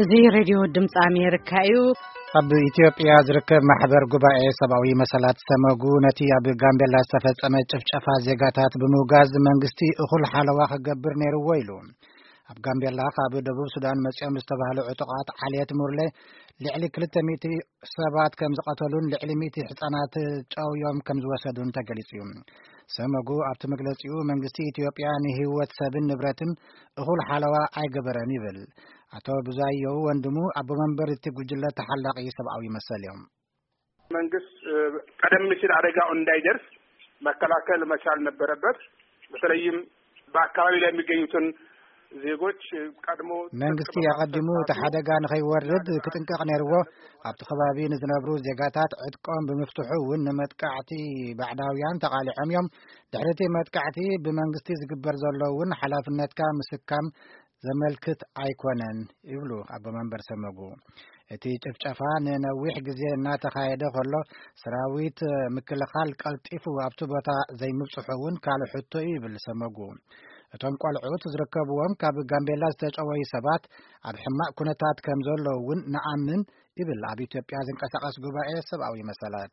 እዚ ሬድዮ ድምፂ ኣሜሪካ እዩ። ኣብ ኢትዮጵያ ዝርከብ ማሕበር ጉባኤ ሰብኣዊ መሰላት ሰመጉ ነቲ ኣብ ጋምቤላ ዝተፈጸመ ጭፍጨፋ ዜጋታት ብምውጋዝ መንግስቲ እኹል ሓለዋ ክገብር ነይርዎ ኢሉ። ኣብ ጋምቤላ ካብ ደቡብ ሱዳን መጺኦም ዝተባህሉ ዕጡቓት ዓሌት ሙርሌ ልዕሊ ክልተ ሚእቲ ሰባት ከም ዝቐተሉን ልዕሊ ሚእቲ ህጻናት ጨውዮም ከም ዝወሰዱን ተገሊጹ እዩ። ሰመጉ ኣብቲ መግለጺኡ መንግስቲ ኢትዮጵያ ንህይወት ሰብን ንብረትን እኹል ሓለዋ ኣይገበረን ይብል። ኣቶ ብዙኣየሁ ወንድሙ ኣቦ መንበር እቲ ጉጅለ ተሓላቒ ሰብኣዊ መሰል እዮም። መንግስት ቀደም ሲል አደጋው እንዳይደርስ መከላከል መቻል ነበረበት። በተለይም በአካባቢ ላይ የሚገኙትን ዜጎች ቀድሞ መንግስቲ ኣቐዲሙ እቲ ሓደጋ ንኸይወርድ ክጥንቀቕ ነይርዎ። ኣብቲ ከባቢ ንዝነብሩ ዜጋታት ዕጥቆም ብምፍትሑ እውን ንመጥቃዕቲ ባዕዳውያን ተቓሊዖም እዮም። ድሕሪ እቲ መጥቃዕቲ ብመንግስቲ ዝግበር ዘሎ እውን ሓላፍነትካ ምስካም ዘመልክት ኣይኮነን ይብሉ ኣቦ መንበር ሰመጉ። እቲ ጭፍጨፋ ንነዊሕ ግዜ እናተኻየደ ከሎ ሰራዊት ምክልኻል ቀልጢፉ ኣብቲ ቦታ ዘይምብጽሑ እውን ካልእ ሕቶ እዩ ይብል ሰመጉ። እቶም ቆልዑት ዝርከብዎም ካብ ጋምቤላ ዝተጨወዩ ሰባት ኣብ ሕማቕ ኩነታት ከም ዘለዉ እውን ንኣምን ይብል ኣብ ኢትዮጵያ ዝንቀሳቐስ ጉባኤ ሰብኣዊ መሰላት።